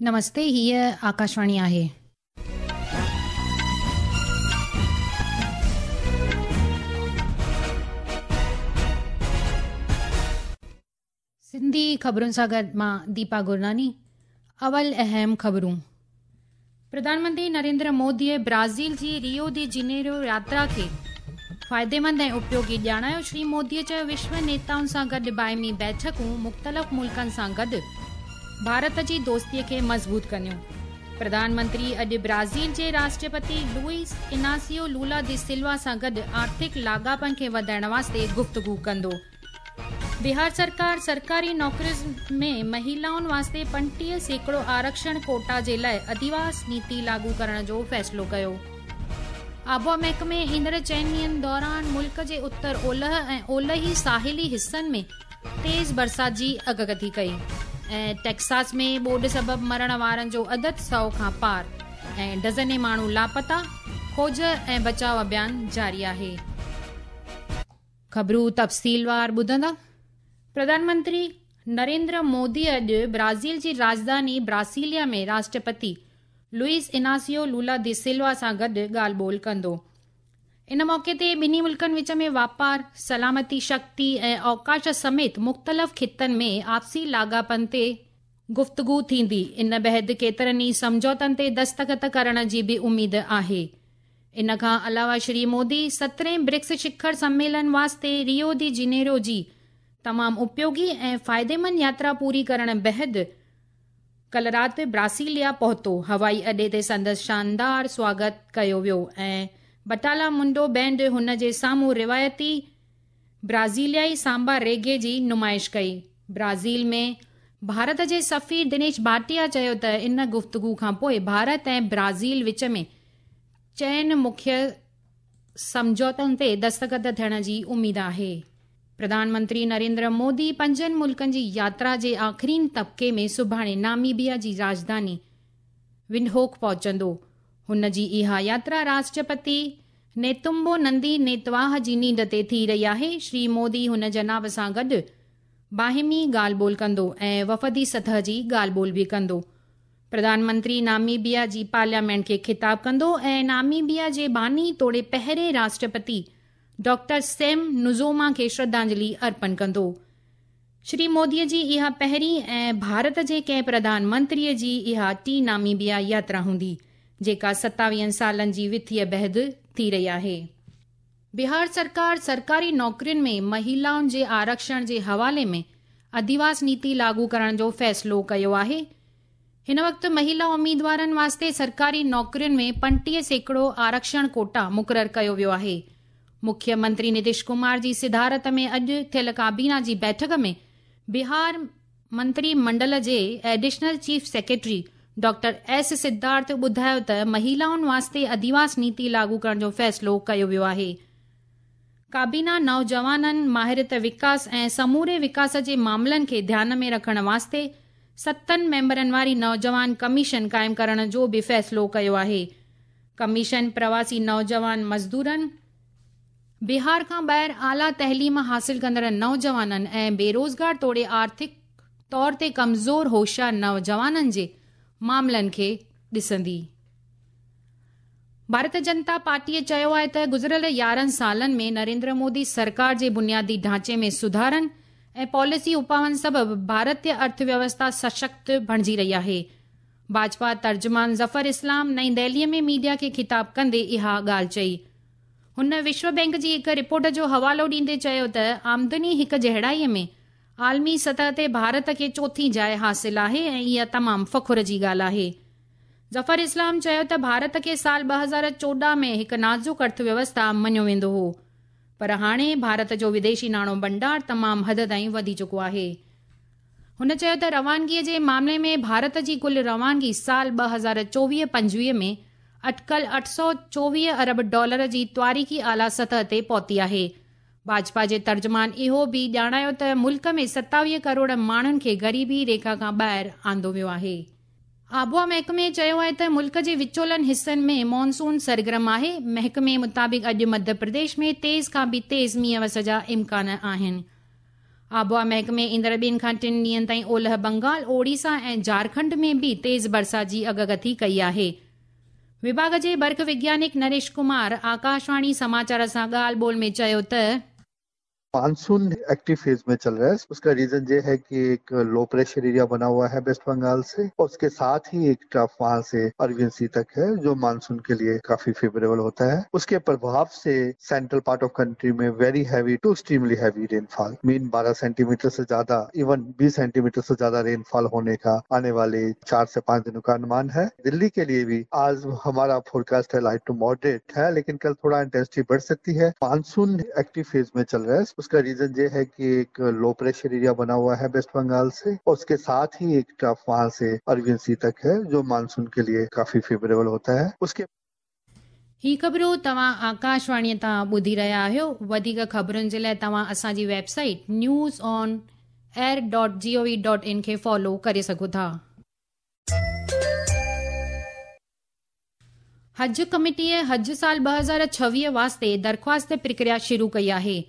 نمستي هيء آڪاشواڻي آهي. سنڌي خبرن سان گڏ مان ديپا گرناني اول اهم خبرون پرڌان منتري نريندر موديء برازيل جي ريو the Janeiro ياترا کي فائديمند ۽ اپيوگي ڄاڻايو. شري موديء چيو وشو نيتائن سان گڏ باهمي بيٺڪون مختلف ملڪن سان گڏ ڀارت جي دوستي کي مضبوط ڪنديون. پرڌان منتري اڄ برازيل جي راشٽرپتي لوئيس اناسيو لولا the Silva سان گڏ آرٿڪ لاڳاپن کي وڌائڻ واسطي گفتگو ڪندو. بهار سرڪار سرڪاري نوڪرين ۾ مهيلائن واسطي 35% آرڪشڻ ڪوٽا جي لاء اڌيواس نيتي لاڳو ڪرڻ جو فيصلو ڪيو. آبهوا محڪمي ايندڙ چئن ڏينهن دوران ملڪ جي اتر اولهه ۽ اولهي ساحلي حصن ۾ تيز برسات جي اڳڪٿي ڪئي ۽ ٽيڪساس ۾ ٻوڏ سبب مرڻ وارن جو عدد 100 کان پار ۽ ڊزنين ماڻهو لاپتا، کوج ۽ بچاء اڀيان جاري آهي. خبرون تفصيلوار ٻڌندا. پرڌان منتري نريندر مودي اڄ برازيل جي راڄڌاني براسيليا ۾ راشٽرپتي لوئيس اناسيو لولا the Silva سان گڏ ڳالهه ٻولهه ڪندو. ان موقعي تي ٻنهي ملڪن وچ ۾ واپار، سلامتي شڪتي ۽ اوڪاش سميت مختلف خطن ۾ آپسي لاڳاپن تي گفتگو ٿيندي. ان بعد ڪيترن ئي سمجهوتن تي دستخط ڪرڻ جي به اميد آهي. ان کان علاوه شري مودي سترهين برڪس شکر سميلن واسطي ريو the Janeiro جي تمام اپيوگي ۽ فائديمند ياترا پوري ڪرڻ بعد ڪل رات براسيليا پهتو. هوائي اڏي تي سندس شاندار سواگت ڪيو ويو ۽ بٽالا منڊو بينڊ هن جي سامهون روايتي برازيليائي سامبا ريگي جي نمائش ڪئي. برازيل ۾ ڀارت جي سفير دنيش ڀاٽيا چيو ته ان گفتگو کان پوء ڀارت ۽ برازيل وچ ۾ چئن مکيه سمجهوتن تي دستخط ٿيڻ جي اميد آهي. پرڌان منتري نريندر مودي پنجن ملڪن جي ياترا جي آخرين طبقي ۾ سڀاڻي ناميبيا جي راڄڌاني ونڊهوڪ پهچندو. هن جي اها ياترا راشٽرپتي نيتمبو نندي نيتواهه جي نينڍ تي ٿي رهي آهي. شري مودي هن جناب سان گڏ باهمي ڳالهه ٻولهه ڪندو ۽ وفدي سطح جي ڳالهه ٻولهه به ڪندو. پرڌان منتري ناميبيا جي پارليامينٽ کي خطاب ڪندو ۽ ناميبيا جي باني توڙي پهرين راشٽرپتي ڊاڪٽر سيم نوجوما کي شرڌانجلي ارپڻ ڪندو. شري مودي جي اها پهرين ۽ ڀارت جي ڪنهن پرڌان منتري جي اها ٽين ناميبيا ياترا هوندي، جيڪا 27 سالن جي وٿيء بعد ٿي رهي آهي. بهار سرڪار سرڪاري نوڪرين ۾ مهيلائن جي آرڪشڻ جي حوالي ۾ اڌيواس نيتي لاڳو ڪرڻ جو فيصلو ڪيو آهي. هن وقت مهيلا اميدوارن واسطي سرڪاري نوڪرين ۾ 35% آرڪشڻ ڪوٽا مقرر ڪيو ويو آهي. مکيه منتري نتيش ڪمار جي صدارت ۾ اڄ ٿيل ڪابينا جي بيٺڪ ۾ بهار منتري منڊل جي additional chief secretary doctor S Siddharth ٻڌايو ته مهيلائن واسطي اڌيواس نيتي لاڳو ڪرڻ جو فيصلو ڪيو ويو آهي. ڪابينا نوجوانن، ماهرت وڪاس ۽ سموري وڪاس جي معاملن کي ڌيان ۾ رکڻ واسطي ستن ميمبرن واري نوجوان ڪميشن قائم ڪرڻ جو به فيصلو ڪيو آهي. ڪميشن پرواسي نوجوان مزدورن، بهار کان ٻاهر اعليٰ تعليم حاصل ڪندڙ نوجوانن ۽ بيروزگار توڙي آرٿڪ طور تي ڪمزور هوشيار نوجوانن جي معاملن کي ڏسندي. ڀارت جنتا پارٽيء چيو آهي ته گذريل 11 سالن ۾ نريندر مودي سرڪار جي بنيادي ڍانچي ۾ سڌارن ۽ پاليسي اپائن سبب ڀارتي ارٿ ويوسٿا سشڪت بڻجي رهي آهي. ڀاجپا ترجمان ظفر اسلام نئين دهليء ۾ ميڊيا کي خطاب ڪندي اها ڳالهه چئي. هن وشو بئنڪ جي هڪ رپورٽ جو حوالو ڏيندي چيو ته آمدني هڪ جهڙائي ۾ عالمي سطح تي ڀارت کي چوٿين جاء حاصل آهي ۽ اها تمام فخر جي ڳالهه آهي. ظفر اسلام چيو ته ڀارت کي سال 2014 ۾ هڪ نازڪ ارٿ ويوسٿا مڃيو ويندو هو پر هاڻي ڀارت جو وديشي ناڻو ڀنڊار تمام حد تائين وڌي چڪو آهي. هن چيو ته روانگي جي معاملي ۾ ڀارت جي ڪل روانگي سال 2024-25 ۾ اٽڪل 824 ارب ڊالر جي تواريخي اعليٰ سطح تي پهتي آهي. ڀاجپا جي ترجمان اهو به ڄاڻايو ته ملڪ ۾ 27 ڪروڙ ماڻهن کي غريبي ريکا کان ٻاهر آندو ويو آهي. آبهوا محڪمي چيو آهي ته ملڪ جي وچولن حصن ۾ مانسون سرگرم آهي. محڪمي مطابق اڄ مڌيه پرديش ۾ تيز کان به تيز مينهن وس جا امڪان آهن. آبهوا محڪمي ايندڙ ٻن کان ٽن ڏينهن تائين اولهه بنگال، اوڙيسا ۽ جهارکنڊ ۾ به تيز برسات جي اڳڪٿي ڪئي آهي. وڀاڳ جي برک وگيانڪ نريش ڪمار آڪاشواڻي سماچار سان ڳالهه ٻولهه ۾ چيو ته. مانسون एक्टिव फेज में चल रहा है। उसका रीजन ये है कि एक लो प्रेशर एरिया बना हुआ है वेस्ट बंगाल से और उसके साथ ही एक ट्रफ वहां से अरबियन सी तक है, जो मानसून के लिए काफी फेवरेबल होता है। उसके प्रभाव से सेंट्रल पार्ट ऑफ कंट्री में very heavy to extremely heavy rainfall, mean 12 centimetre से ज्यादा, इवन 20 सेंटीमीटर से ज्यादा रेनफॉल होने का आने वाले 4 से 5 दिनों का अनुमान है। दिल्ली के लिए भी आज हमारा फोरकास्ट है लाइट टू मॉडरेट है, लेकिन कल थोड़ा इंटेंसिटी बढ़ सकती है। मानसून एक्टिव फेज में चल रहा है। उसका रीजन ये है कि एक लो प्रेशर एरिया बना हुआ है वेस्ट बंगाल से और उसके साथ ही एक ट्रफ वहां से अरबियन सी तक है, जो मानसून के लिए काफी फेवरेबल होता है। उसके ही ख़बरूं तव्हां आकाशवाणीअ तां ॿुधी रहिया आहियो। वधीक ख़बरुनि जे लाइ तव्हां असांजी website news on air dot G O V dot in खे फॉलो करे सघो था। हज कमिटीअ हज साल 2026 वास्ते दरख़्वास्त प्रक्रिया शुरू कई आहे।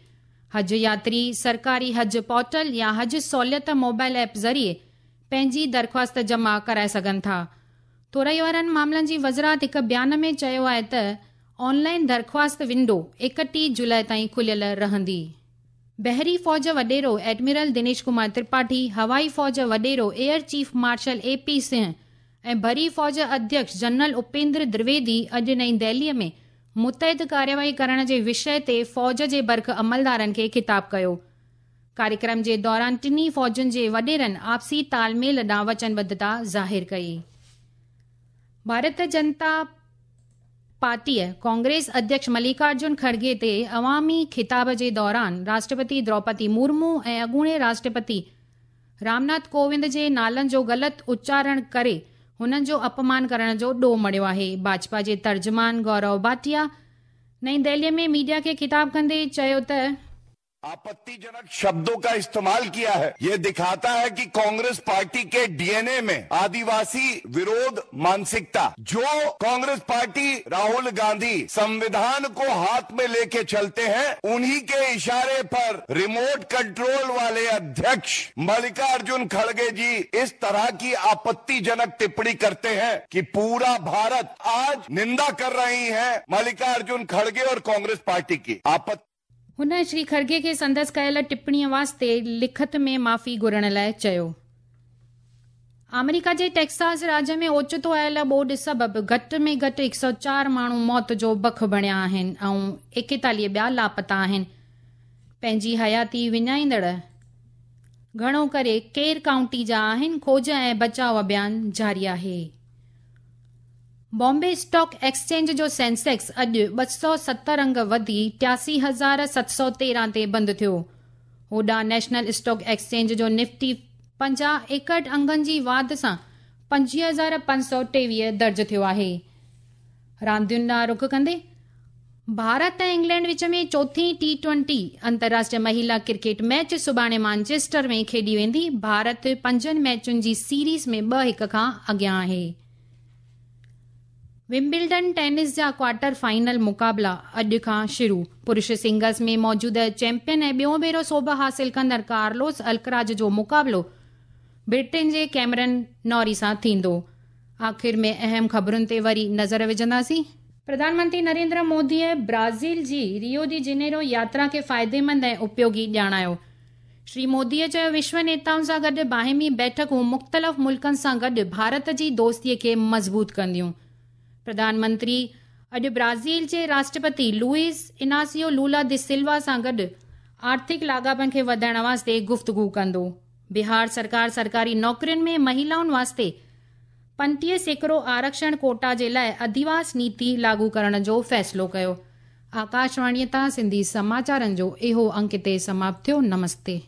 हज यात्री सरकारी हज पोर्टल या हज सहूलियत मोबाइल ऐप ज़रिए पंहिंजी दरख़्वास्त जमा कराए सघनि था। थोरई वारनि मामलनि जी वज़ारत हिकु बयान में चयो आहे त ऑनलाइन दरख़्वास्त विंडो 31 जुलाई ताईं खुलियल रहंदी। बहरी फ़ौज वॾेरो एडमिरल दिनेश कुमार त्रिपाठी, हवाई फ़ौज वॾेरो air chief marshal A P Singh ऐं बरी फ़ौज अध्यक्ष जनरल उपेंद्र द्विवेदी अॼु नई दिल्लीअ में मुतहद कार्यवाही करण जे विषय ते फ़ौज जे बर्ख अमलदारनि खे ख़िताब कयो। कार्यक्रम जे दौरान टिन्ही फ़ौजुनि जे वॾेरनि आपसी तालमेल ॾांहुं वचनबद्धता ज़ाहिर कई। भारत जनता पार्टीअ कांग्रेस अध्यक्ष मल्लिकार्जुन खड़गे ते अवामी ख़िताब जे दौरान राष्ट्रपति द्रौपदी मुर्मू ऐं अॻूणे राष्ट्रपति रामनाथ कोविंद जे नालनि जो ग़लति उच्चारण करे हुननि जो अपमान करण जो ॾोह मढ़ियो आहे। भाजपा जे तर्जुमान गौरव भाटिया नई दिल्लीअ में मीडिया खे ख़िताब कंदे चयो त आपत्तिजनक शब्दों का इस्तेमाल किया है। ये दिखाता है कि कांग्रेस पार्टी के डीएनए में आदिवासी विरोध मानसिकता, जो कांग्रेस पार्टी राहुल गांधी संविधान को हाथ में लेके चलते हैं, उन्हीं के इशारे पर रिमोट कंट्रोल वाले अध्यक्ष मल्लिकार्जुन खड़गे जी इस तरह की आपत्तिजनक टिप्पणी करते हैं कि पूरा भारत आज निंदा कर रही है मल्लिकार्जुन खड़गे और कांग्रेस पार्टी की। आपत्ति हुन श्री खड़गे खे संदसि कयल टिप्पणीअ वास्ते लिखत में माफ़ी घुरण लाइ चयो। आमेरिका जे टेक्सास राज्य में ओचितो आयल ॿोॾ सबबि घटि में घटि 104 माण्हू मौत जो बख बणिया आहिनि ऐं 41 ॿिया लापता आहिनि। पंहिंजी हयाती विञाईंदड़ घणो करे केर काउंटी जा आहिनि। खोज ऐं बचाव अभियान जारी आहे। बॉम्बे स्टॉक एक्सचेंज जो सेंसेक्स अॼु 270 अंग वधी 83,713 ते बंदि थियो। होॾां नेशनल स्टॉक एक्सचेंज जो निफ्टी 50 61 अंगनि जी वाध सां 25,523 दर्ज थियो आहे। रांदियुनि ॾांहुं रुख कंदे भारत ऐं इंग्लैंड विच में चोथी T20 अंतर्राष्ट्रीय महिला क्रिकेट मैच सुभाणे मानचेस्टर में खेॾी वेंदी। भारत 5 मैचुनि जी सीरीज़ में 2-1 खां अॻियां आहे। विम्बल्डन टेनिस जा क्वार्टर फाइनल मुक़ाबला अॼु खां शुरू। पुरुष सिंगल्स में मौजूदा चैंपियन ऐं ॿियो भेरो सोभ हासिल कंदड़ कार्लोस अल्कराज जो मुक़ाबलो ब्रिटेन जे कैमरन नॉरी सां थींदो। आख़िर में अहम ख़बरुनि ते वरी नज़र विझंदासीं। प्रधानमंत्री नरेंद्र मोदीअ ब्राज़ील जी रियो डी जेनेरो यात्रा खे फ़ाइदेमंद ऐं उपयोगी ॼाणायो। श्री मोदीअ चयो विश्व नेताउनि सां गॾु बाहिमी बैठकूं मुख़्तलिफ़ मुल्कनि सां गॾु भारत जी दोस्तीअ खे मज़बूत कंदियूं। प्रधानमंत्री अॼु ब्राज़ील जे राष्ट्रपति लुइस इनासियो लूला दी सिल्वा सां गॾु आर्थिक लाॻापनि खे वधाइण वास्ते गुफ़्तगू कंदो। बिहार सरकार सरकारी नौकरियुनि में महिलाउनि वास्ते 35% आरक्षण कोटा जे लाइ अधिवास नीति लागू करण जो फ़ैसिलो कयो। आकाशवाणीअ तां सिंधी समाचारनि जो इहो अंक हिते समाप्त थियो। नमस्ते।